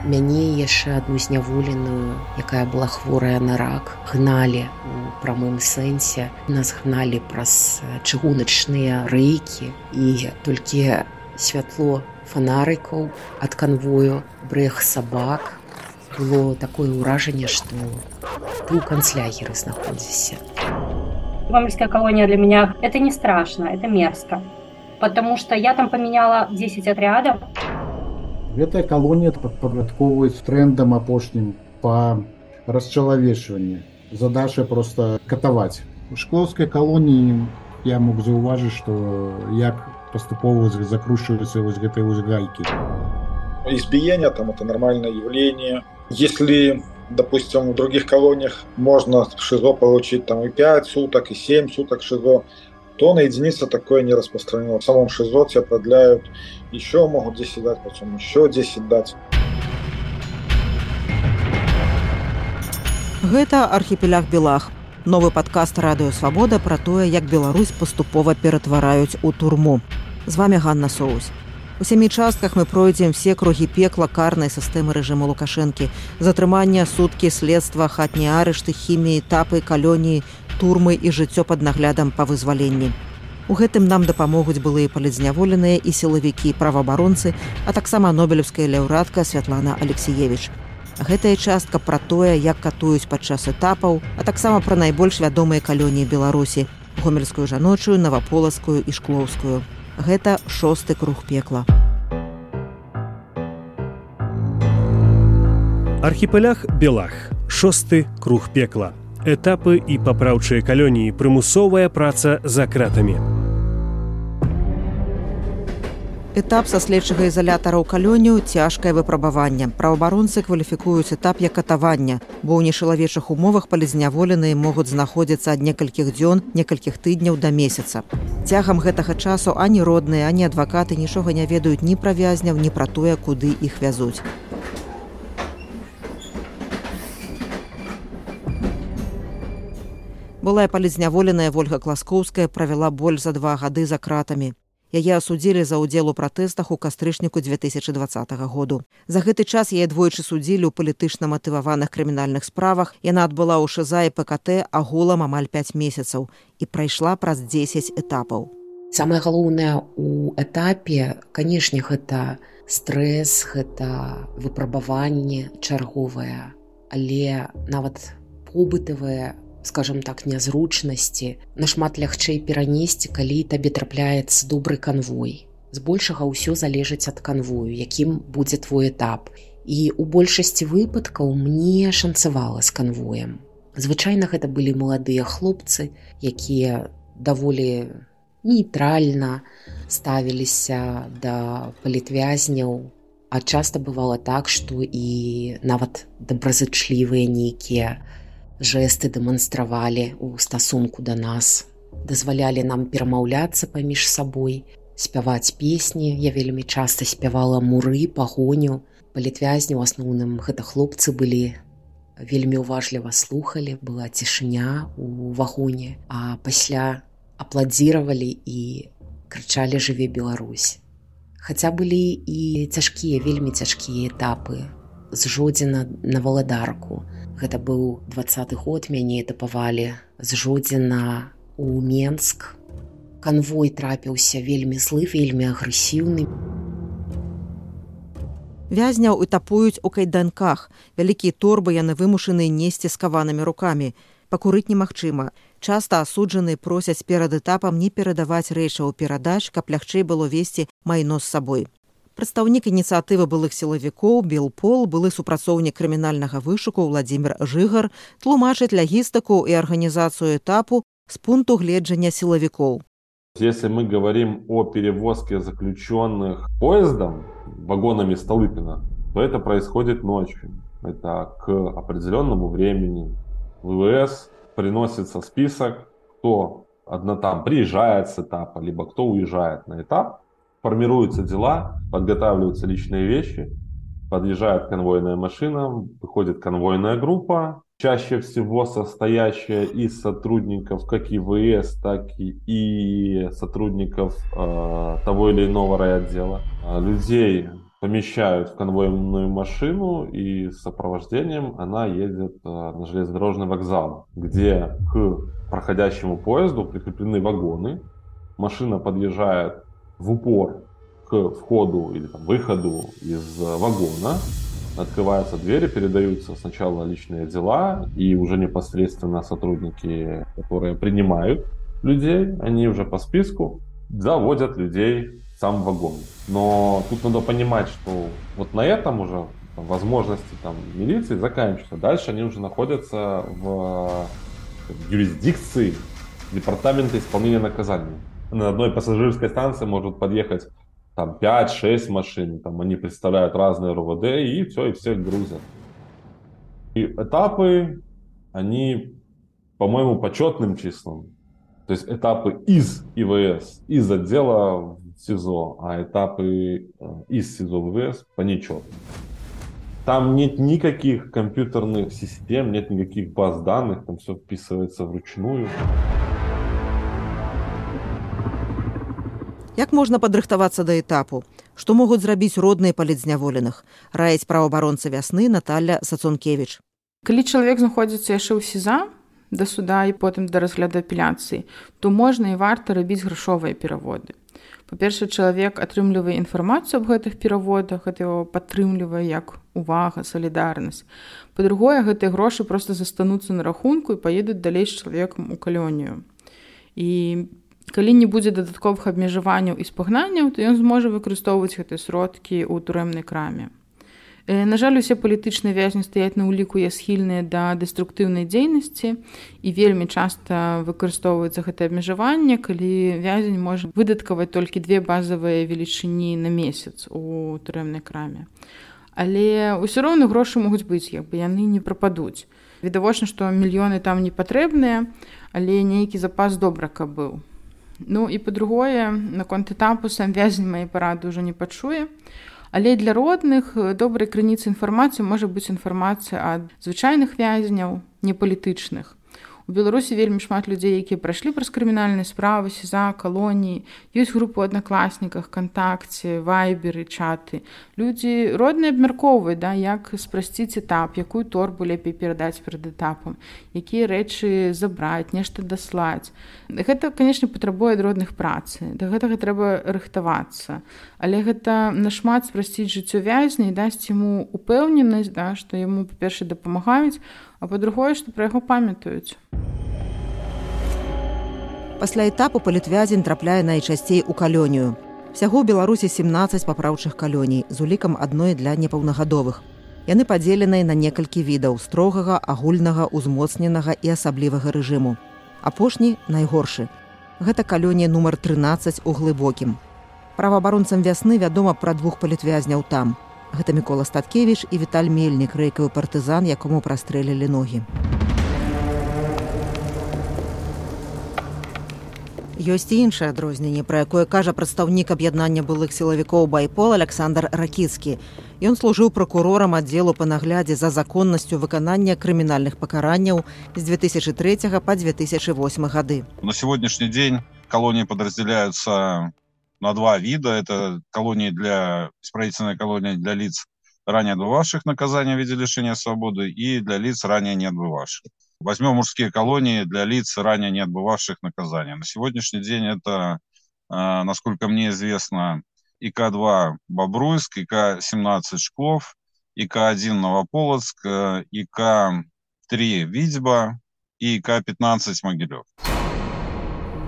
Мяне яшчэ адну зняволеную, якая была хворая на рак, гналі у прамым сэнсе. Нас гналі праз чыгуначныя рэйкі, і толькі святло фонарыкаў ад канвою, брэх сабак. Было такое ўражанне, што ты ў канцлягеры знаходзішся. Гомельская колония для меня это не страшно, это мерзко. Потому что я там поменяла 10 отрядов. Гэтая калонія падпарадкоўваюць трендам апошнім па расчалавечванні. Задача просто катаваць. У шклоўскай калоніі я мог заўважыць, што як паступова закручиваются гэтыя гайки. Избиение там это нормальное явление. Если, допустим, в других колониях можно в ШИЗО получить там и 5 суток, и 7 суток ШИЗО, то на единице такое не распространено. В самом ШИЗО тебя продляют, еще могут 10 дать, потом еще 10 дать. Гэта архіпеляг Белах. Новы падкаст Радыё Свабода пра тое, як Беларусь паступова ператвараюць у турму. З вами Ганна Соус. У 7 частках мы пройдзем все кругі пекла карнай сістэмы рэжыму Лукашэнкі. Затрымання, суткі, следства, хатнія арышты, хіміі, этапы, калоніі, турмы і жыццё пад наглядам па вызваленні. У гэтым нам дапамогуць былыя палітзняволеныя і сілавікі, праваабаронцы, а таксама нобелеўская лаўрэатка Святлана Алексіевіч. Гэтая частка пра тое, як катуюць падчас этапаў, а таксама пра найбольш вядомыя калоніі Беларусі – гомельскую жаночую, наваполацкую і шклоўскую. Гэта 6-ы круг пекла. Архіпеляг Белах. 6-ы круг пекла. Этапы і папраўчыя калоніі. Прымусовая праца за кратамі. Этап са следчага ізалятара ў калонію – цяжкае выпрабаванне. Праваабаронцы кваліфікуюць этап як катаванне, бо ў нешалавечых умовах палітзняволеныя могуць знаходзіцца ад некалькіх дзён, некалькіх тыдняў да месяца. Цягам гэтага часу ані родныя, ані адвакаты нічога не ведаюць ні пра вязняў, ні пра тое, куды іх вязуць. Былая палітзняволеная Вольга Класкоўская правяла больш за 2 гады за кратамі. Яе асудзілі за ўдзел у пратэстах у кастрычніку 2020 году. За гэты час яе двойчы судзілі ў палітычна матываваных крымінальных справах. Яна адбыла ў ШЗА і ПКТ агулам амаль 5 месяцаў і прайшла праз 10 этапаў. Самае галоўнае ў этапе, канешне, гэта стрэс, гэта выпрабаванне чарговае, але нават побытавае, скажем так, нязручнасці нашмат лягчэй перанесці, калі табе трапляецца добры канвой. Збольшага ўсё залежыць ад канвою, якім будзе твой этап. І ў большасці выпадкаў мне шанцавала з канвоем. Звычайна гэта былі маладыя хлопцы, якія даволі нейтральна ставіліся да палітвязняў, а часта бывала так, што і нават добразычлівыя нейкія жэсты дэманстравалі ў стасунку да нас, дазвалялі нам перамаўляцца паміж сабой, спяваць песні. Я вельмі часта спявала муры, пагоню. Палітвязні, у асноўным, гэта хлопцы былі, вельмі уважліва слухалі, была цішыня ў вагоне, а пасля апладзіравалі і крычалі «Жыве Беларусь». Хаця былі і цяжкія, вельмі цяжкія этапы. З Жодзіна на Валадарку. Гэта быў 20-й год, мяне этапавалі з Жодзіна ў Менск. Канвой трапіўся вельмі злы, вельмі агрэсіўны. Вязняў этапуюць у кайданках. Вялікія торбы яны вымушаныя несці скаванымі рукамі. Пакурыць немагчыма. Часта асуджаныя просяць перад этапам не перадаваць рэчаў перадач, каб лягчэй было весці майно з сабой. Прадстаўнік ініцыятывы былых сілавікоў Белпол, былы супрацоўнік крымінальнага вышуку Владзімір Жыгар, тлумачыць лагістыку і арганізацыю этапу з пункту гледжання сілавікоў. Если мы говорим о перевозке заключенных поездом, вагонами Столыпина, то это происходит ночью. Это к определенному времени. В ВВС приносится список, кто там приезжает с этапа, либо кто уезжает на этап. Формируются дела, подготавливаются личные вещи, подъезжает конвойная машина, выходит конвойная группа, чаще всего состоящая из сотрудников как ИВС, так и сотрудников того или иного райотдела. Людей помещают в конвойную машину, и с сопровождением она едет на железнодорожный вокзал, где к проходящему поезду прикреплены вагоны. Машина подъезжает в упор к входу или выходу из вагона. Открываются двери, передаются сначала личные дела, и уже непосредственно сотрудники, которые принимают людей, они уже по списку заводят людей в сам вагон. Но тут надо понимать, что вот на этом уже возможности милиции заканчиваются. Дальше они уже находятся в юрисдикции департамента исполнения наказаний. На одной пассажирской станции может подъехать 5-6 машин, они представляют разные РОВД, и все, и всех грузят. И этапы, они, по-моему, по четным числам. То есть этапы из ИВС, из отдела в СИЗО, а этапы из СИЗО в ИВС по нечетным. Там нет никаких компьютерных систем, нет никаких баз данных, там все вписывается вручную. Як можна падрыхтавацца да этапу? Што могуць зрабіць родныя палітзняволеных? Раіць праваабаронца вясны Наталья Сацункевіч. Калі чалавек знаходзіцца яшчэ ў СІЗА да суда і потым да разгляду апеляцыі, то можна і варта рабіць грашовыя пераводы. Па-першае, чалавек атрымлівае інфармацыю аб гэтых пераводах, гэта яго падтрымлівае як увага, салідарнасць. Па-другое, гэтыя грошы проста застануцца на рахунку і паедуць далей з чалавекам у калонію. І калі не будзе дадатковых абмежаванняў і спагнанняў, то ён зможа выкарыстоўваць гэтыя сродкі ў турэмнай краме. На жаль, усе палітычныя вязні стаяць на ўліку я схільныя да дэструктыўнай дзейнасці, і вельмі часта выкарыстоўваецца гэтае абмежаванне, калі вязень можа выдаткаваць толькі 2 базавыя велічыні на месяц у турэмнай краме. Але ўсё роўна грошы могуць быць, яны не прападуць. Відавочна, што мільёны там не патрэбныя, але нейкі запас добра каб быў. Ну і па-другое, наконт этапу сам вязень мае парады ўжо не пачуе. Але для родных добрай крыніцай інфармацыі можа быць інфармацыя ад звычайных вязняў, не палітычных. У Беларусі вельмі шмат людзей, якія прайшлі праз крымінальныя справы, СІЗА, калоніі. Ёсць групы ў аднакласніках, кантакце, вайберы, чаты. Людзі родныя абмяркоўваюць, як спрасціць этап, якую торбу лепей перадаць перад этапам, якія рэчы забраць, нешта даслаць. Гэта, канешне, патрабуе ад родных працы. Да гэтага трэба рыхтавацца. Але гэта нашмат спрасціць жыццё вязня і дасць яму упэўненасць, што яму, па-першае, дапамагаюць, а па-другое, што пра яго памятаюць. Пасля этапу палітвязень трапляе найчасцей у калонію. Всяго ў Беларусі 17 папраўчых калоній з улікам адной для непаўнагадовых. Яны падзеленыя на некалькі відаў строгага, агульнага, узмоцненага і асаблівага рэжыму. Апошні найгоршы. Гэта калонія нумар 13 у Глыбокім. Праваабаронцам вясны вядома пра 2 палітвязняў там. Гэта Мікола Статкевіч і Віталь Мельнік, рэйкавы партызан, якому прастрэлілі ногі. Ёсць і іншае адрозненне, пра якое кажа прадстаўнік аб'яднання былых сілавікоў «Байпол» Александр Ракіцкі. Ён служыў пракурорам аддзелу па наглядзе за законнасцю выканання крымінальных пакаранняў з 2003 па 2008 гады. На сегодняшний день колонии подразделяются на 2 вида. Это исправительная колония для лиц, ранее отбывавших наказание в виде лишения свободы, и для лиц, ранее не отбывавших. Возьмем мужские колонии для лиц, ранее не отбывавших наказание. На сегодняшний день это, насколько мне известно, ИК-2 Бобруйск, ИК-17 Шклов, ИК-1 Новополоцк, ИК-3 Витьба и ИК-15 Могилев.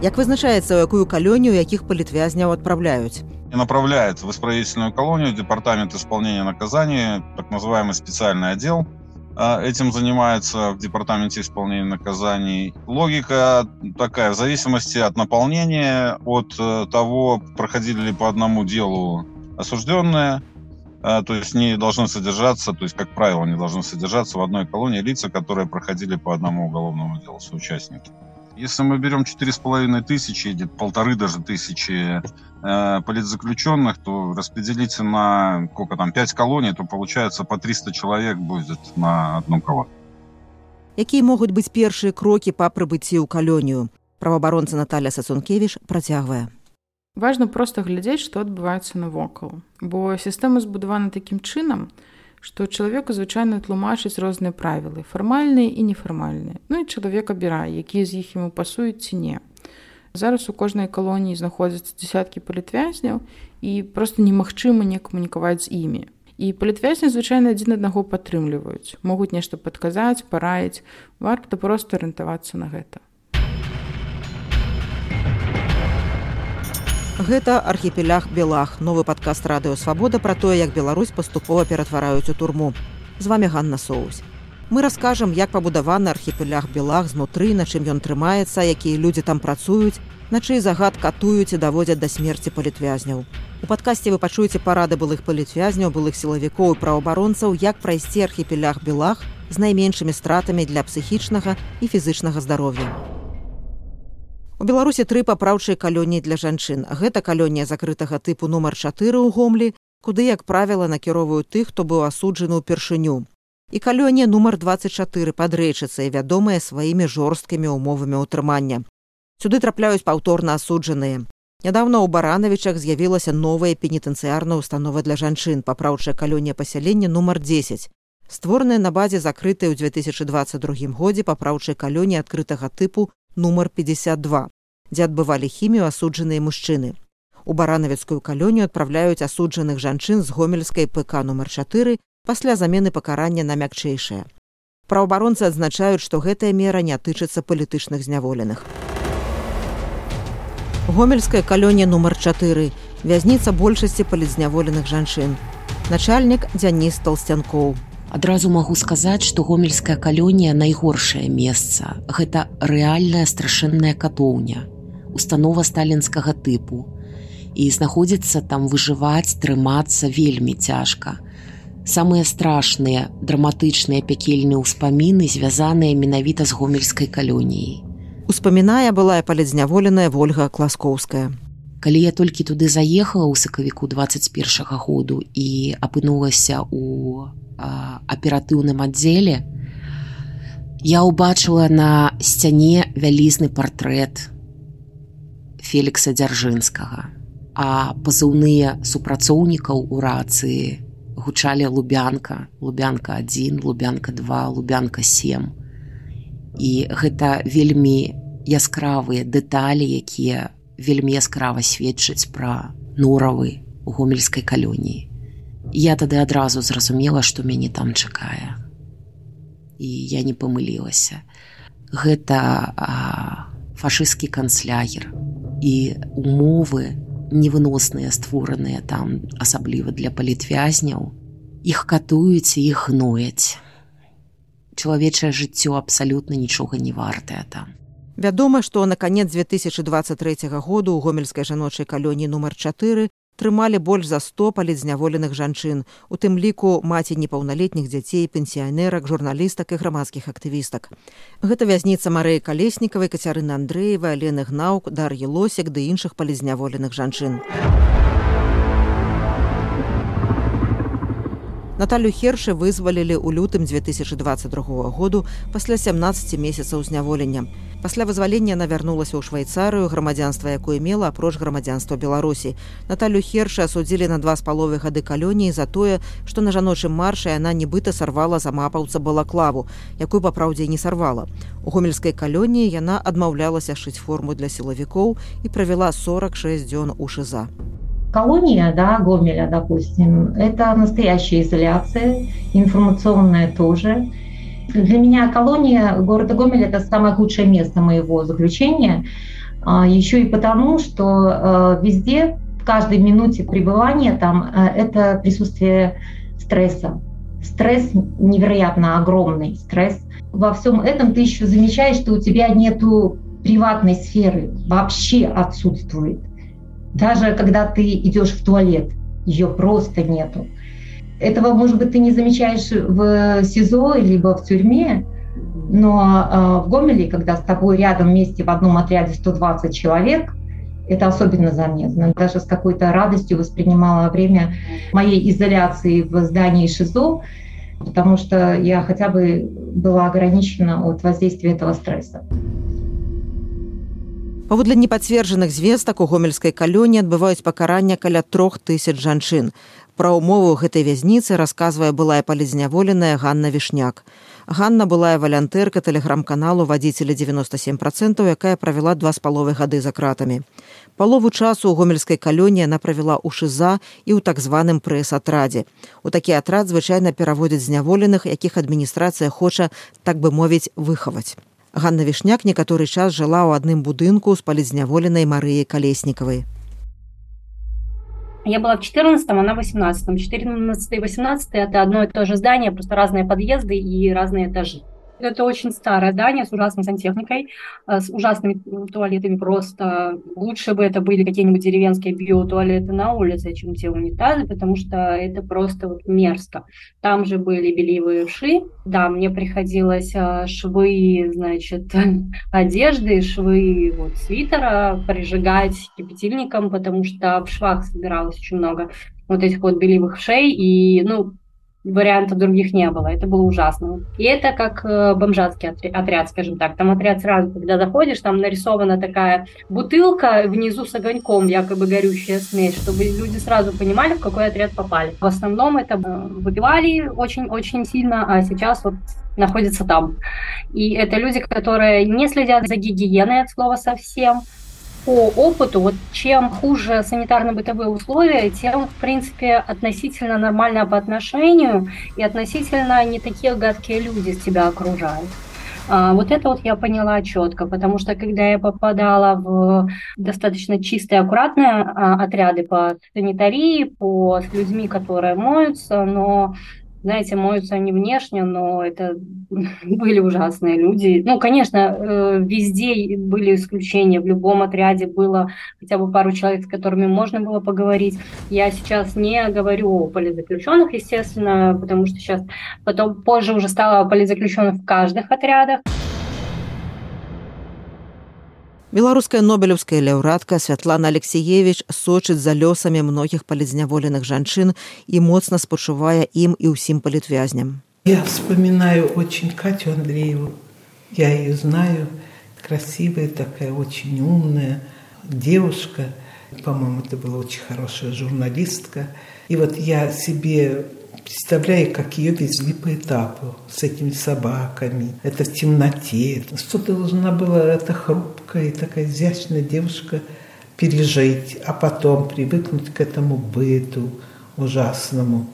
Як вызначаецца, у якую калонію якіх палітвязняў адпраўляюць? Направляет в исправительную колонию департамент исполнения наказаний, так называемый специальный отдел. Этим занимается в департаменте исполнения наказаний. Логика такая, в зависимости от наполнения, от того, проходили ли по одному делу осужденные, то есть не должны содержаться, то есть, как правило, не должны содержаться в одной колонии лица, которые проходили по одному уголовному делу, соучастники. Если мы берем 4500 или 1500 политзаключенных, то распределите на 5 колоний, то получается по 300 человек будет на одну колонию. Якія могуць быць першыя крокі па прыбыцці ў калонію? Праваабаронца Наталья Сацункевіч працягвае. Важна проста глядзець, што адбываецца навокал. Бо сістэма збудавана такім чынам, што чалавеку звычайна тлумачыць розныя правілы, фармальныя і нефармальныя. Ну і чалавек абірае, якія з іх яму пасуюць ці не. Зараз у кожнай калоніі знаходзяцца дзесяткі палітвязняў, і проста немагчыма не камунікаваць з імі. І палітвязні звычайна адзін аднаго падтрымліваюць, могуць нешта падказаць, параіць, варта проста арыентавацца на гэта. Гэта архіпеляг Белах, новы падкаст Радыё Свабода пра тое, як Беларусь паступова ператвараюць у турму. З вамі Ганна Соусь. Мы раскажам, як пабудаваны архіпеляг Белах знутры, на чым ён трымаецца, якія людзі там працуюць, на чый загад катуюць і даводзяць да смерці палітвязняў. У падкасці вы пачуеце парады былых палітвязняў, былых сілавікоў і праваабаронцаў, як прайсці архіпелях Белах з найменшымі стратамі для псіхічнага і фізычнага здароўя. У Беларусі 3 папраўчыя калоніі для жанчын. Гэта калонія закрытага тыпу нумар 4 ў Гомлі, куды, як правіла, накіроўваюць тых, хто быў асуджаны ўпершыню. І калонія нумар 24 пад Рэчыцай, вядомая сваімі жорсткімі ўмовамі ўтрымання. Сюды трапляюць паўторна асуджаныя. Нядаўна ў Баранавічах з'явілася новая пенітэнцыярная ўстанова для жанчын, папраўчая калонія пасялення нумар 10. Створаная на базе закрытай ў 2022 годзе папраўчай калоніі адкрытага тыпу нумар 52, дзе адбывалі хімію асуджаныя мужчыны. У Баранавіцкую калонію адпраўляюць асуджаных жанчын з гомельскай ПК нумар 4 пасля замены пакарання на мякчэйшае. Праваабаронцы адзначаюць, што гэтая мера не тычыцца палітычных зняволеных. Гомельская калонія нумар 4. Вязніца большасці палітзняволеных жанчын. Начальнік Дзяніс Толстянкоў. Адразу магу сказаць, што гомельская калонія найгоршае месца. Гэта рэальная страшэнная катоўня, установа сталінскага тыпу. І знаходзіцца там выжываць, трымацца вельмі цяжка. Самыя страшныя, драматычныя пякельныя ўспаміны звязаныя менавіта з гомельскай калоніяй. Успамінае былая палітзняволеная Вольга Класкоўская. Калі я толькі туды заехала ў сакавіку 21 году і апынулася ў аператыўным аддзеле, я ўбачыла на сцяне вялізны партрэт Фелікса Дзяржынскага, а пазыўныя супрацоўнікаў у рацыі гучалі Лубянка, Лубянка 1, Лубянка 2, Лубянка 7. І гэта вельмі яскравыя дэталі, якія вельмі яскрава сведчаць пра норавы ў гомельскай калоніі. Я тады адразу зразумела, што мяне там чакае. І я не памылілася. Гэта фашысцкі канцлагер. І умовы невыносныя, створаныя там, асабліва для палітвязняў, іх катуюць і іх гнояць. Чалавечае жыццё абсалютна нічога не вартае там. Вядома, што на канец 2023 году ў гомельскай жаночай калоніі нумар 4 трымалі больш за 100 палітзняволеных жанчын, у тым ліку маці непаўналетніх дзяцей, пенсіянерак, журналістак і грамадскіх актывістак. Гэта вязніца Марыі Калеснікавай, Кацярыны Андрэевай, Алены Гнаўк, Дар'і Лосек ды іншых палітзняволеных жанчын. Наталю Хершы вызвалілі ў лютым 2022 году пасля 17 месяцаў зняволення. Пасля вызвалення яна вярнулася ў Швайцарыю, грамадзянства якое мела апроч грамадзянства Беларусі. Наталю Хершы асудзілі на 2,5 гады калоніі за тое, што на жаночым маршы яна нібыта сарвала за мапаўца балаклаву, якую папраўдзе не сарвала. У гомельскай калоніі яна адмаўлялася шыць форму для сілавікоў і правяла 46 дзён у ШИЗА. Колония, да, Гомеля, допустим, это настоящая изоляция, информационная тоже. Для меня колония города Гомель – это самое худшее место моего заключения, еще и потому, что везде, в каждой минуте пребывания там, это присутствие стресса. Стресс невероятно огромный, стресс. Во всем этом ты еще замечаешь, что у тебя нету приватной сферы, вообще отсутствует. Даже когда ты идешь в туалет, ее просто нету. Этого, может быть, ты не замечаешь в СИЗО либо в тюрьме, но в Гомеле, когда с тобой рядом вместе в одном отряде 120 человек, это особенно заметно. Даже с какой-то радостью воспринимала время моей изоляции в здании ШИЗО, потому что я хотя бы была ограничена от воздействия этого стресса. Паводле непацверджаных звестак у гомельскай калоніі адбываюць пакарання каля 3000 жанчын. Пра ўмовы ў гэтай вязніцы расказвае былая палізняволеная Ганна Вішняк. Ганна былая валянтэрка тэлеграм-каналу «Вадзіцелі 97%», якая правяла 2,5 гады за кратамі. Палову часу ў гомельскай калоніі яна правяла ў ШИЗА і ў так званым прэс-атрадзе. У такі атрад звычайна пераводзяць зняволеных, якіх адміністрацыя хоча, так бы мовіць, выхаваць. Ганна Вішняк некаторы час жыла ў адным будынку з палізняволенай Марыяй Калеснікавай. Я была в 14-м, она в 18-м. 14 и 18 это одно и то же здание, просто разные подъезды и разные этажи. Это очень старое здание с ужасной сантехникой, с ужасными туалетами просто. Лучше бы это были какие-нибудь деревенские биотуалеты на улице, чем те унитазы, потому что это просто вот мерзко. Там же были бельевые швы. Да, мне приходилось швы, значит, одежды, швы вот, свитера прижигать кипятильником, потому что в швах собиралось очень много вот этих вот бельевых шей, и, вариантов других не было. Это было ужасно. И это как бомжатский отряд, скажем так. Там отряд сразу, когда заходишь, там нарисована такая бутылка внизу с огоньком, якобы горючая смесь, чтобы люди сразу понимали, в какой отряд попали. В основном это выпивали очень-очень сильно, а сейчас вот находятся там. И это люди, которые не следят за гигиеной от слова совсем. По опыту, вот чем хуже санитарно-бытовые условия, тем, в принципе, относительно нормально по отношению и относительно не такие гадкие люди тебя окружают. Вот это вот я поняла четко, потому что когда я попадала в достаточно чистые, аккуратные отряды по санитарии, с людьми, которые моются, но знаете, моются они внешне, но это были ужасные люди. Конечно, везде были исключения, в любом отряде было хотя бы пару человек, с которыми можно было поговорить. Я сейчас не говорю о политзаключенных, естественно, потому что сейчас, позже уже стало политзаключенных в каждых отрядах. Беларуская нобелеўская лаўрэатка Святлана Алексеевич сочыць за лёсамі многіх палізняволеных жанчын і моцна спачувае ім і ўсім палітвязням. Я вспоминаю очень Катю Андрееву. Я ее знаю. Красивая такая, очень умная девушка. По-моему, это была очень хорошая журналистка. И вот я себе представляю, как ее везли по этапу с этими собаками. Это в темноте. Что должна была эта хрупкая и такая изящная девушка пережить, а потом привыкнуть к этому быту ужасному.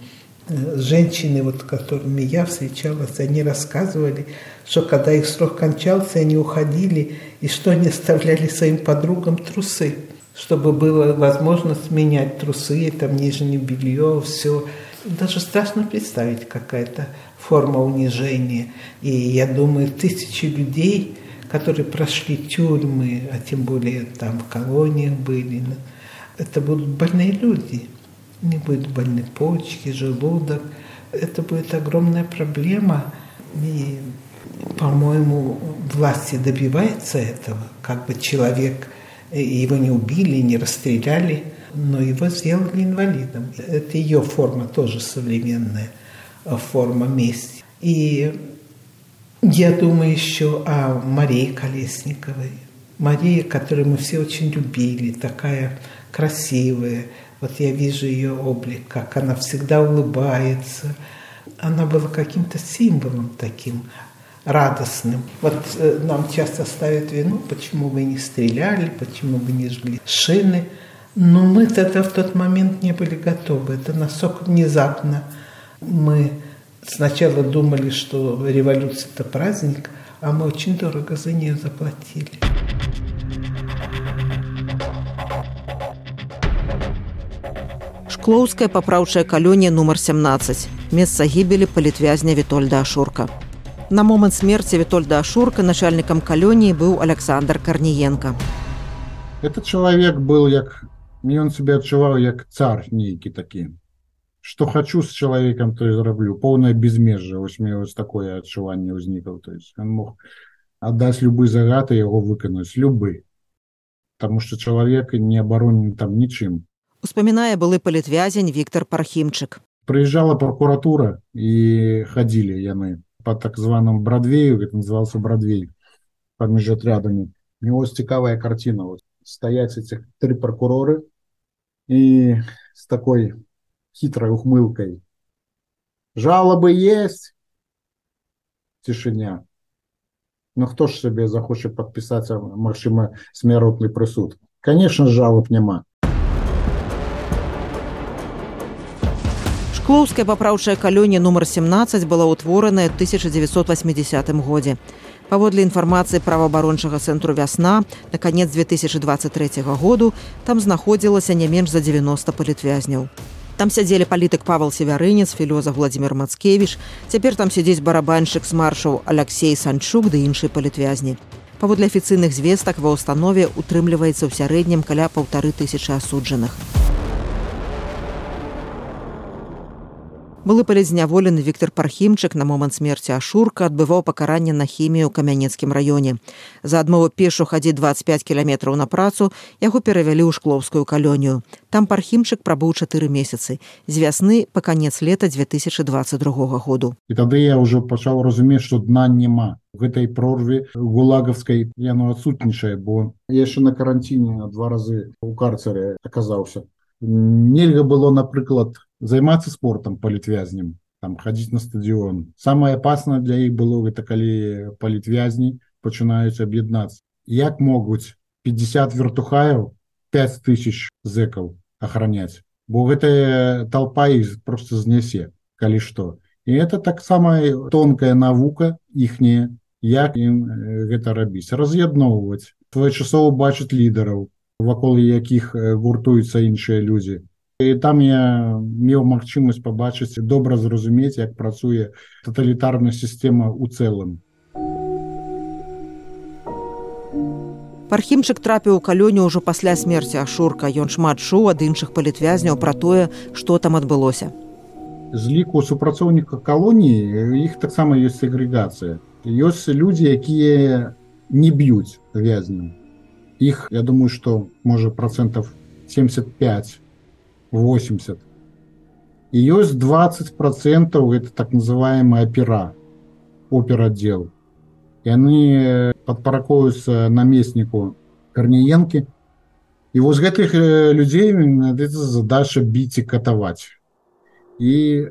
Женщины, вот, с которыми я встречалась, они рассказывали, что когда их срок кончался, они уходили, и что они оставляли своим подругам трусы, чтобы была возможность менять трусы, там нижнее белье, все. Даже страшно представить, какая-то форма унижения. И я думаю, тысячи людей, которые прошли тюрьмы, а тем более там в колониях были, это будут больные люди. У них будут больны почки, желудок. Это будет огромная проблема. И, по-моему, власти добиваются этого. Как бы человек, его не убили, не расстреляли, но его сделали инвалидом. Это ее форма, тоже современная форма мести. И я думаю еще о Марии Колесниковой. Мария, которую мы все очень любили, такая красивая. Вот я вижу ее облик, как она всегда улыбается. Она была каким-то символом таким радостным. Вот нам часто ставят вину, почему вы не стреляли, почему вы не жгли шины. Но мы тогда в тот момент не были готовы. Это настолько внезапно. Мы сначала думали, что революция – это праздник, а мы очень дорого за нее заплатили. Шклоўская папраўчая калонія нумар 17. Месца гібелі палітвязня Вітольда Ашурка. На момант смерці Вітольда Ашурка начальнікам калоніі быў Александр Карніенка. Этот человек был, он себя отчувал, как царь некий таки. Что хочу с человеком, то и зароблю. Полное безмежье. У меня вот такое отчувание возникло. То есть он мог отдать любые загады и его выконать. Любые. Потому что человек не оборонен там ничем. Успамінае былы палітвязень Віктор Пархімчык. Приезжала прокуратура и ходили яны по так званому Бродвею, это назывался Бродвей, под межотрядами. У него цікавая картина. Вот стоять этих 3 прокуроры и с такой хитрой ухмылкой. Жалобы есть? Тишиня. Ну хто ж себе захоче подписаться, магчыма, смяротны прысуд? Конечно, жалоб няма. Шклоўская папраўчая калонія нумар 17 была ўтвораная ў 1980 годзе. Паводле інфармацыі праваабарончага цэнтру «Вясна», на канец 2023 году там знаходзілася не менш за 90 палітвязняў. Там сядзелі палітык Павел Севярынец, філёзаф Владзімір Мацкевіч, цяпер там сядзіць барабаншчык з маршаў Аляксей Санчук ды іншыя палітвязні. Паводле афіцыйных звестак ва ўстанове утрымліваецца ў сярэднім каля 1500 асуджаных. Былы палітзняволены Віктор Пархімчык на момант смерці Ашурка адбываў пакаранне на хімію ў Камянецкім раёне. За адмову пешу хадзіць 25 кіламетраў на працу яго перавялі ў Шклоўскую калонію. Там Пархімчык прабыў 4 месяцы, з вясны па канец лета 2022 году. І тады я ўжо пачаў разумець, што дна няма. В гэтай прорве гулагаўскай яно адсутнічае, бо я яшчэ на каранціне 2 разы ў карцере аказаўся. Нельга было, напрыклад, займацца спортам палітвязням, там хадзіць на стадыён. Самае апаснае для іх было гэта калі палітвязні пачынаюць аб'яднацца. Як могуць 50 вертухаяў 5000 зэкаў ахраняць? Бо гэтая толпа іх просто знясе, калі што. І это таксама тонкая навука іхняя, як ім гэта рабіць. Раз'ядноўваць, своечасова бачыць лідараў, вакол якіх гуртуюцца іншыя людзі. І там я меў магчымасць пабачыць, добра зразумець, як працуе таталітарная сістэма ў цэлым. Пархімчык трапіў у калонію ўжо пасля смерці Ашурка. Ён шмат чуў ад іншых палітвязняў пра тое, што там адбылося. З ліку супрацоўнікаў калоніі іх таксама ёсць сегрэгацыя. Ёсць людзі, якія не б'юць вязняў. Іх, я думаю, што можа процентов 75-80. І ёсць 20% это так называемая операддел. Яны падпаракоўваюцца намесніку Карніенкі. І вось гэтых людзей задача біць і катаваць. І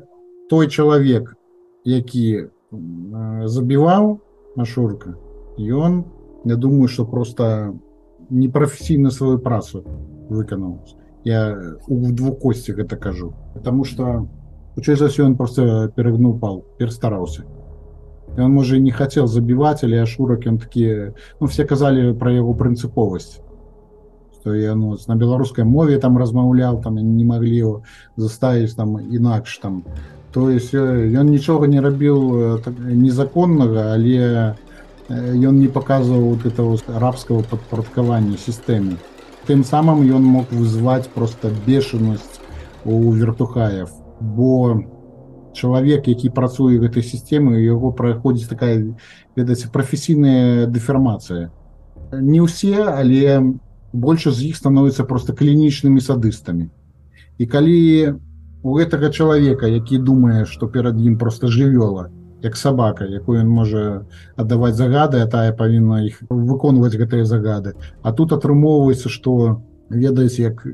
той чалавек, які забіваў Ашурка, ён, я думаю, што просто непрафесійна сваю працу выканаў. Я у двукосці гэта кажу. Потому что, хутчэй за ўсё, ён просто перагнуў пал, перастараўся. И он, может, и не хотел забивать, или Ашурак, он такие, все казали про его принциповость. Что я на белорусской мове там размаўлял, там не могли его заставить там інакш там. То есть он ничего не рабіў незаконного, але он не показывал вот этого рабского подпорядкования системе. Тем самым он мог вызвать просто бешеность у вертухаев, бо чалавек, які працуе в этой системе, его проходит такая, ведаце, професійная дэфармацыя. Не ўсе, але больше з іх становятся просто клінічнымі садыстамі. І калі у гэтага чалавека, які думае, што перад ім просто жывёла, як сабака, якую ён можа аддаваць загады, а тая павінна іх выконваць гэтыя загады. А тут атрымоўваецца, што, ведаеце, як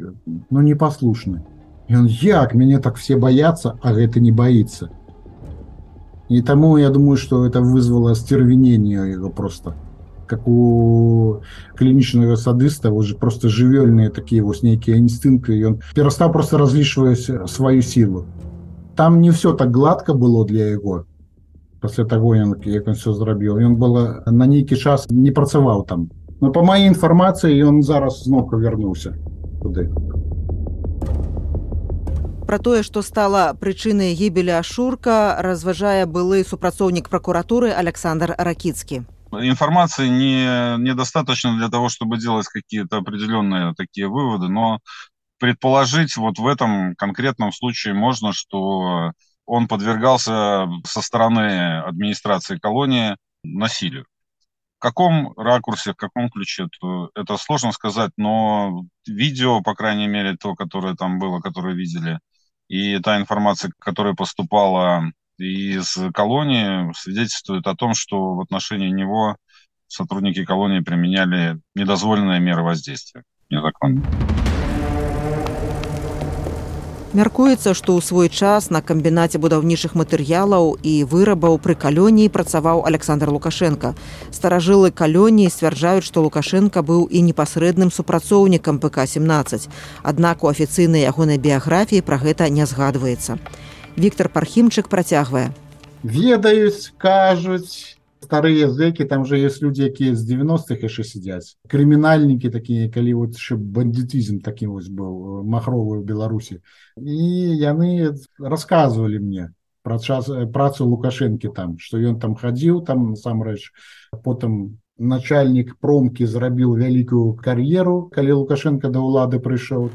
непаслушны. И он, як, меня так все боятся, а это не боится. И тому я думаю, что это вызвало остервенение его просто. Как у клиничного садиста, уже просто живельные такие вот некие инстинкты, и он перестал просто различивать свою силу. Там не все так гладко было для его, после того, как он все зрабіў. И он был на некий час не працаваў там. Но по моей информации, он зараз зноў вернулся туды. Пра тое, што стала прычынай гібелі Ашурка, разважае былы супрацоўнік прокуратуры Александр Ракицкий. Информации недостаточно для того, чтобы делать какие-то определенные такие выводы, но предположить вот в этом конкретном случае можно, что он подвергался со стороны администрации колонии насилию. В каком ракурсе, в каком ключе, это сложно сказать, но видео, по крайней мере, то, которое там было, которое видели, и та информация, которая поступала из колонии, свидетельствует о том, что в отношении него сотрудники колонии применяли недозволенные меры воздействия. Незаконно. Мяркуецца, што ў свой час на камбінаце будаўнічых матэрыялаў і вырабаў пры калоніі працаваў Александр Лукашенко. Старажылы калоніі сцвярджаюць, што Лукашенко быў і непасрэдным супрацоўнікам ПК-17. Аднак у афіцыйнай ягонай біяграфіі пра гэта не згадваецца. Віктор Пархімчык працягвае. Ведаюць, кажуць, старыя зэкі, там же есть люди, якія з 90-х яшчэ сядзяць. Крымінальнікі такія, калі вот бандитизм такі вось быў махровы ў Беларусі. І яны расказвалі мне пра працу Лукашэнкі там, што ён там хадзіў, там насамрэч. Потым начальнік промкі зрабіў вялікую кар'еру, калі Лукашенко да ўлады прыйшоў.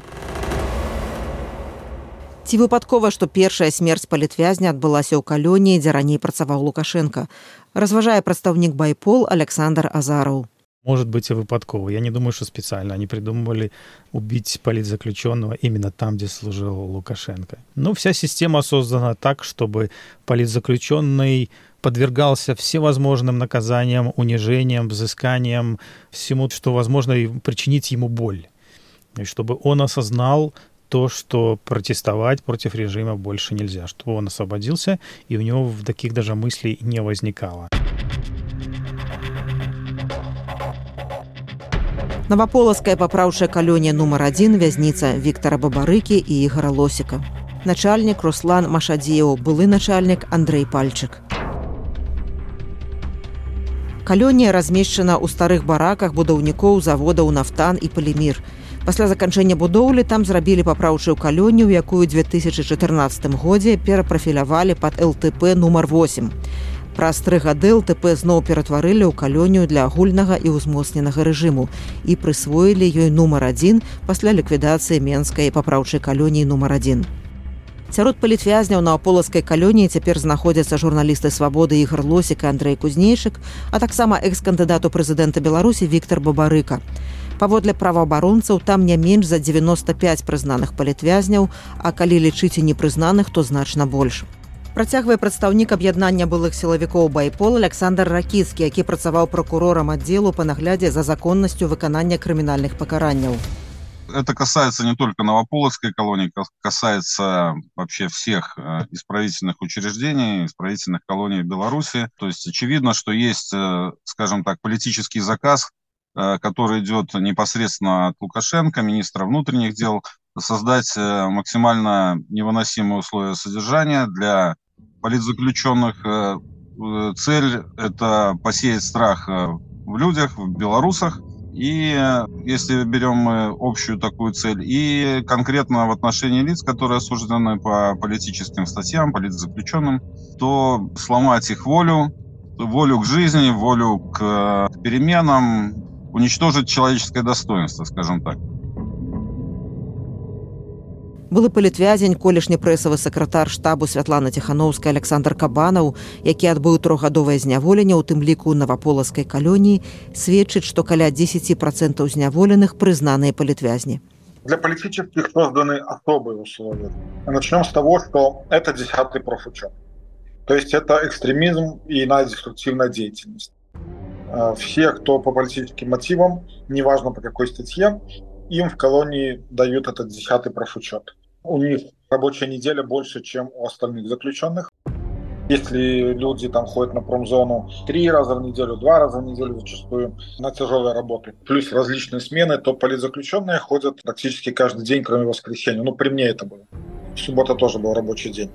Ці выпадкова, што першая смерць палітвязня адбылася ў калоніі, дзе раней працаваў Лукашенко, разважае прадстаўнік Байпол Александр Азаров. Может быть и выпадково. Я не думаю, что специально они придумывали убить политзаключенного именно там, где служил Лукашенко. Но вся система создана так, чтобы политзаключенный подвергался всевозможным наказаниям, унижениям, взысканиям, всему, что возможно причинить ему боль. И чтобы он осознал то, что протестовать против режима больше нельзя, чтобы он освободился, и у него таких даже мыслей не возникало. Новаполацкая папраўчая калонія нумар 1, вязніца Віктара Бабарыкі і Ігора Лосіка. Начальнік Руслан Машадзеў, былы начальнік Андрэй Пальчык. Калонія размешчана ў старых бараках будаўнікоў заводаў «Нафтан» і «Палімір». Пасля заканчэння будоўлі там зрабілі папраўчую калонію, якую ў 2014 годзе перапрафілявалі пад ЛТП нумар 8. Праз 3 гады ЛТП зноў ператварылі ў калонію для агульнага і ўзмоцненага рэжыму і прысвоілі ёй нумар 1 пасля ліквідацыі Менскай папраўчай калоніі нумар 1. Сярод палітвязняў Новаполацкай калоніі цяпер знаходзяцца журналісты «Свабоды» Ігор Лосік і Андрэй Кузнейчык, а таксама экс-кандыдат у прэзідэнта Беларусі Віктар Бабарыка. Паводле праваабаронцаў, там не менш за 95 прызнаных палітвязняў, а калі лічыць і непрызнаных, то значна больш. Працягвае прадстаўнік аб'яднання былых сілавікоў Байпол Александр Ракіцкі, які працаваў пракурорам аддзелу па наглядзе за законнасцю выканання крымінальных пакаранняў. Это касается не только Новополоцкой колонии, касается вообще всех исправительных учреждений, исправительных колоний в Беларуси. То есть очевидно, что есть, скажем так, политический заказ, который идет непосредственно от Лукашенко, министра внутренних дел, создать максимально невыносимые условия содержания для политзаключенных. Цель – это посеять страх в людях, в белорусах. И если берем мы общую такую цель, и конкретно в отношении лиц, которые осуждены по политическим статьям, политзаключенным, то сломать их волю к жизни, волю к переменам, уничтожить человеческое достоинство, скажем так. Былы палітвязень, колішні прэсавы сакратар штабу Святлана Ціхановская Александр Кабанаў, які адбыў 3-гадовае зняволенне, у тым ліку ў Новаполацкай калоніі, сведчыць, што каля 10% зняволеных прызнаныя палітвязні. Для политических созданы особые условия. Начнем с того, что это 10-й профучет. То есть это экстремизм и иная деструктивная деятельность. Все, кто по политическим мотивам, неважно по какой статье, им в колонии дают этот 10-й профучет. У них рабочая неделя больше, чем у остальных заключенных. Если люди там ходят на промзону 3 раза в неделю, 2 раза в неделю зачастую на тяжелые работы, плюс различные смены, то политзаключенные ходят практически каждый день, кроме воскресенья. При мне это было. Суббота тоже был рабочий день.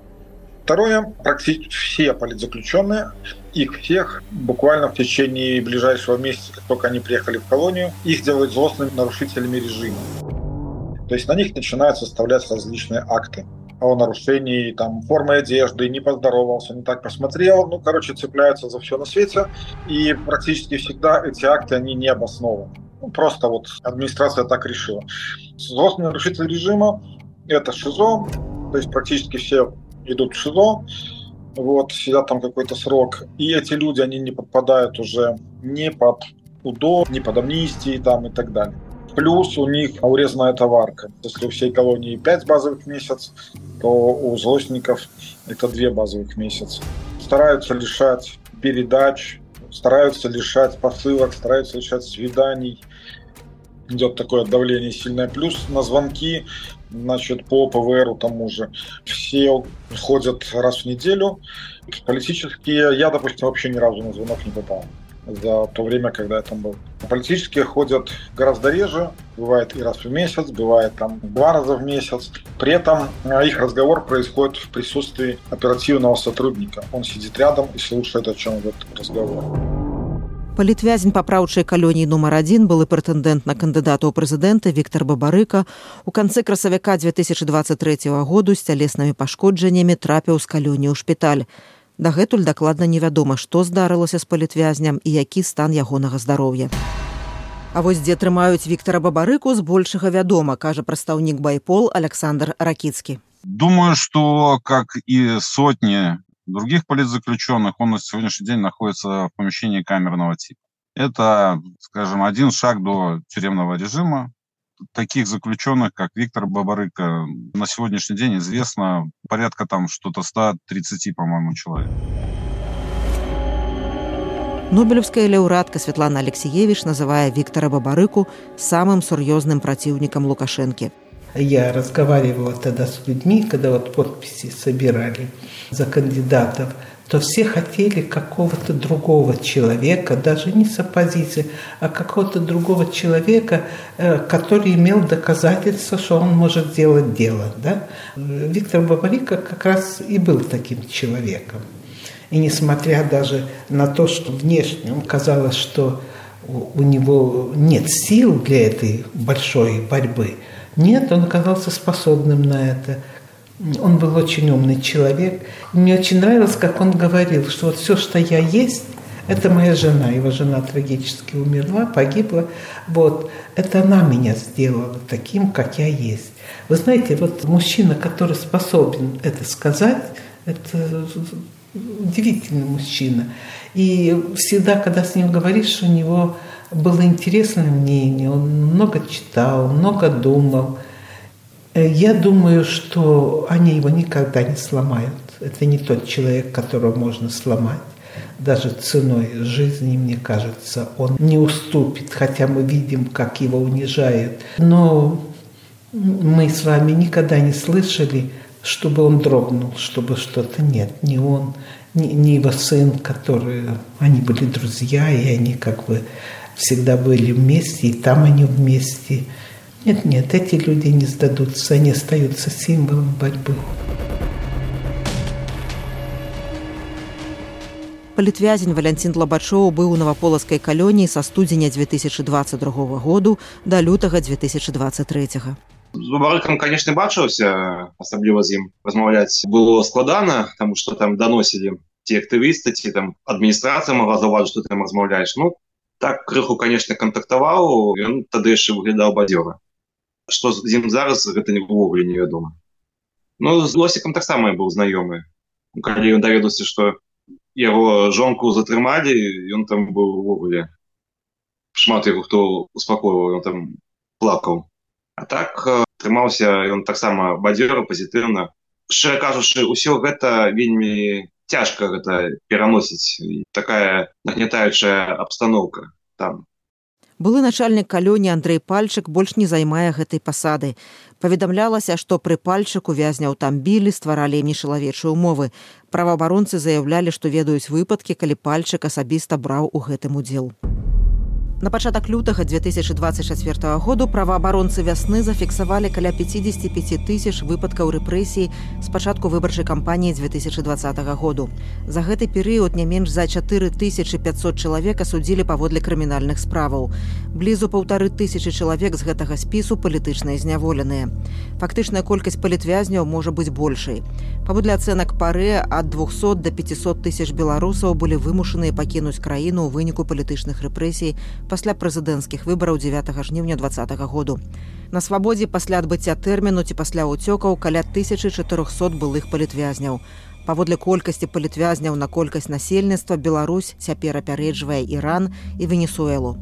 Второе, практически все политзаключенные, их всех буквально в течение ближайшего месяца, как только они приехали в колонию, их делают злостными нарушителями режима. То есть на них начинают составлять различные акты о нарушении там, формы одежды, не поздоровался, не так посмотрел. Цепляются за все на свете. И практически всегда эти акты, они не обоснованы. Просто администрация так решила. Злостный нарушитель режима – это ШИЗО, то есть практически все идут в ШИЗО, сидят там какой-то срок. И эти люди, они не подпадают уже ни под УДО, ни под амнистии там, и так далее. Плюс у них урезанная товарка. Если у всей колонии 5 базовых в месяц, то у злостников это 2 базовых в месяц. Стараются лишать передач, стараются лишать посылок, стараются лишать свиданий. Идет такое давление сильное. Плюс на звонки, значит, по ПВРу тому же. Все ходят раз в неделю. Политические, я, допустим, вообще ни разу на звонок не попал за то время, когда я там был. Политические ходят гораздо реже, бывает и раз в месяц, бывает там 2 раза в месяц. При этом их разговор происходит в присутствии оперативного сотрудника. Он сидит рядом и слушает, о чем идет разговор. Палітвязень папраўчай калоніі нумар 1 былы прэтэндэнт на кандыдата ў прэзідэнта Віктар Бабарыка у канцы красавіка 2023 году з цялеснымі пашкоджаннямі трапіў з калоніі ў шпіталь. Дагэтуль дакладна невядома, што здарылася з палітвязням і які стан ягонага здароўя. А вось дзе трымаюць Віктара Бабарыку, збольшага вядома, кажа прадстаўнік Байпол Александр Ракіцкі. Думаю, что, как и сотни других политзаключенных, он на сегодняшний день находится в помещении камерного типа. Это, скажем, один шаг до тюремного режима. Таких заключенных, как Виктор Бабарыка, на сегодняшний день известно порядка там что-то 130, по-моему, человек. Нобелевская лаўрэатка Светлана Алексеевич называе Виктора Бабарыку самым сур'ёзным противником Лукашенко. Я разговаривала тогда с людьми, когда вот подписи собирали за кандидатов, то все хотели какого-то другого человека, даже не с оппозиции, а какого-то другого человека, который имел доказательства, что он может делать дело. Да? Виктор Бабарыка как раз и был таким человеком. И несмотря даже на то, что внешне казалось, что у него нет сил для этой большой борьбы, нет, он оказался способным на это. Он был очень умный человек. Мне очень нравилось, как он говорил, что вот все, что я есть, это моя жена. Его жена трагически умерла, погибла. Вот. Это она меня сделала таким, как я есть. Вы знаете, вот мужчина, который способен это сказать, это удивительный мужчина. И всегда, когда с ним говоришь, у него было интересное мнение, он много читал, много думал. Я думаю, что они его никогда не сломают. Это не тот человек, которого можно сломать. Даже ценой жизни, мне кажется, он не уступит, хотя мы видим, как его унижают. Но мы с вами никогда не слышали, чтобы он дрогнул, чтобы что-то нет. Ни он, ни его сын, которые... Они были друзья, и они как бы всегда были вместе, и там они вместе. Нет, эти люди не сдадутся, они остаются символом борьбы. Палітвязень Валянцін Длабачоў быў у наваполацкай калоніі са студзеня 2022 году да лютага 2023. З Бабарыкам, конечно, бачыўся, асабліва з ім размаўляць было складана, таму што там даносілі ці актывісты, ці там адміністрацыя могла заўважыць, што ты там размаўляеш. Ну, так крыху, конечно, кантактаваў, ён тады яшчэ выглядаў бадзёра. Што з ім зараз, гэта ўвогуле невядома. Ну, з Лосікам таксама я быў знаёмы. Калі ён даведаўся, што яго жонку затрымалі, ён там быў увогуле. Шмат яго хто успакойваў, ён там плакаў. А так трымаўся ён таксама бадзёра, пазітыўна. Шчыра кажучы, усё гэта вельмі цяжка гэта пераносіць. Такая нагнятаючая абстаноўка там. Былы начальнік калоніі Андрэй Пальчык больш не займае гэтай пасады. Паведамлялася, што пры Пальчыку вязняў там білі, стваралі ім нечалавечыя ўмовы. Праваабаронцы заяўлялі, што ведаюць выпадкі, калі Пальчык асабіста браў у гэтым удзел. На пачатак лютага 2024 году праваабаронцы вясны зафіксавалі каля 55 тысяч выпадкаў рэпрэсій з пачатку выбарчай кампаніі 2020 году. За гэты перыяд не менш за 4500 чалавек асудзілі паводле крымінальных справаў. Блізу 1500 чалавек з гэтага спісу палітычныя зняволеныя. Фактычная колькасць палітвязняў можа быць большай. Паводле ацэнак ПАРЭ, ад 200 до 500 тысяч беларусаў былі вымушаныя пакінуць краіну ў выніку палітычных рэпрэсій пасля прэзідэнцкіх выбараў 9 жніўня 2020 году. На свабодзе пасля адбыцця тэрміну ці пасля ўцёкаў каля 1400 былых палітвязняў. Паводле колькасці палітвязняў на колькасць насельніцтва Беларусь цяпер апярэджвае Іран і Венесуэлу.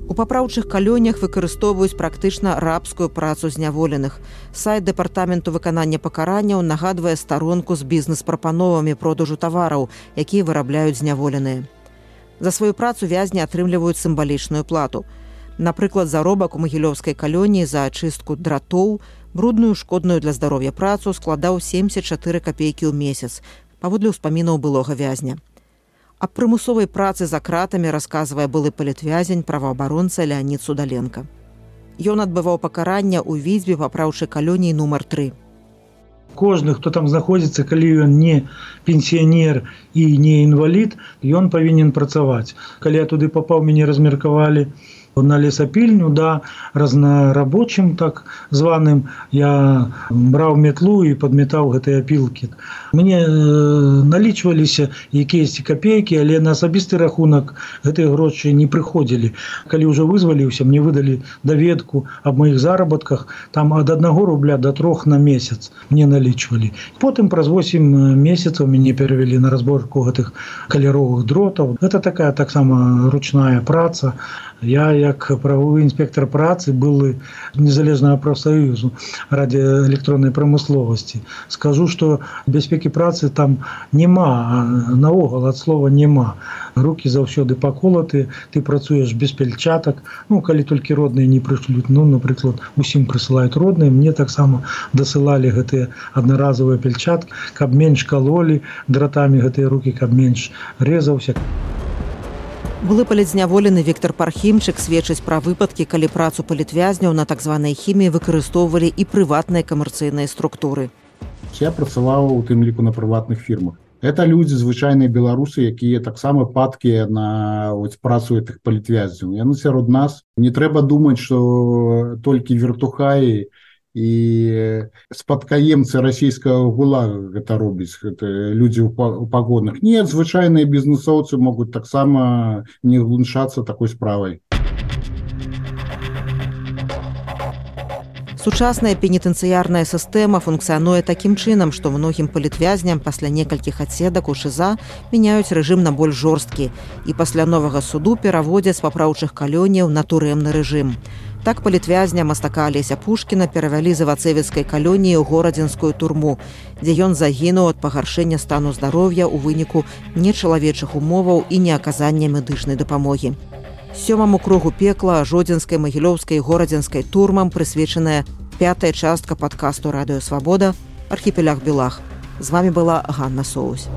У папраўчых калонях выкарыстоўваюць практычна рабскую працу зняволеных. Сайт дэпартаменту выканання пакаранняў нагадвае старонку з бізнес-прапановамі продажу тавараў, якія вырабляюць зняволеныя. За сваю працу вязні атрымліваюць сімвалічную плату. Напрыклад, заробак у магілёўскай калоніі за ачыстку дратоў, брудную шкодную для здароўя працу складаў 74 копейкі ў месяц, паводле ўспамінаў былога вязня. Аб прымусовай працы за кратамі расказвае былы палітвязень, праваабаронца Леонід Судаленко. Ён адбываў пакаранне ў Віцьбе папраўчай калоніі нумар 3. Кожны, хто там знаходзіцца, калі ён не пенсіянер і не інвалід, ён павінен працаваць. Калі я туды папаў, мяне размеркавалі на лесапільню, да, разнарабочым, так званым, я браў метлу і падметаў гэтыя апілкі. Мне налічваліся якіясьці копейкі, але на асабісты рахунак гэтыя грошы не прыходзілі. Калі ўжо вызваліўся, мне выдалі даведку аб маіх заработках, там ад 1 рубля до 3 на месяц мне налічвалі. Потым праз 8 месяцаў мяне перавялі на разборку гэтых каляровых дротаў. Гэта такая таксама ручная праца. Я, як правовы інспектор працы, былы незалежнага прафсаюзу радыёэлектроннай прамысловасці. Скажу, што бяспекі працы там няма, наогул ад слова няма. Рукі заўсёды паколаты, ты працуеш без пельчатак. Ну, калі толькі родныя не прышлюць, ну, напрыклад, усім прысылаюць родныя, мне таксама дасылалі гэтыя аднаразовыя пельчаткі, каб менш калолі дратамі гэтыя рукі, каб менш рэзаўся. Былы палітзняволены Віктор Пархімчык сведчыць пра выпадкі, калі працу палітвязняў на так званай хіміі выкарыстоўвалі і прыватныя камерцыйныя структуры. Я працаваў у тым ліку на прыватных фірмах. Это людзі, звычайныя беларусы, якія таксама падкія на працу гэтых палітвязняў. Яны сярод нас. Не трэба думаць, што толькі вертухаі і спадкаемцы расійскага гулага гэта робіць, гэта людзі ў пагонах. Не, звычайныя бізнесоўцы могуць таксама не глуншацца такой справай. Сучасная пенітэнцыярная сістэма функцыянуе такім чынам, што многім палітвязням пасля некалькіх адседак у ШІЗА мяняюць рэжым на больш жорсткі і пасля новага суду пераводзяць з папраўчых калоніяў на турэмны рэжым. Так палітвязня мастака Алеся Пушкіна перавялі з Івацевіцкай калоніі ў Горадзенскую турму, дзе ён загінуў ад пагаршэння стану здароўя ў выніку нечалавечых умоваў і неаказання медычнай дапамогі. 7-му кругу пекла Жодзінскай, Магілёўскай і Горадзенскай турмам прысвечаная 5-я частка падкасту «Радыё Свабода» «Архіпеляг Белах». З вамі была Ганна Соусь.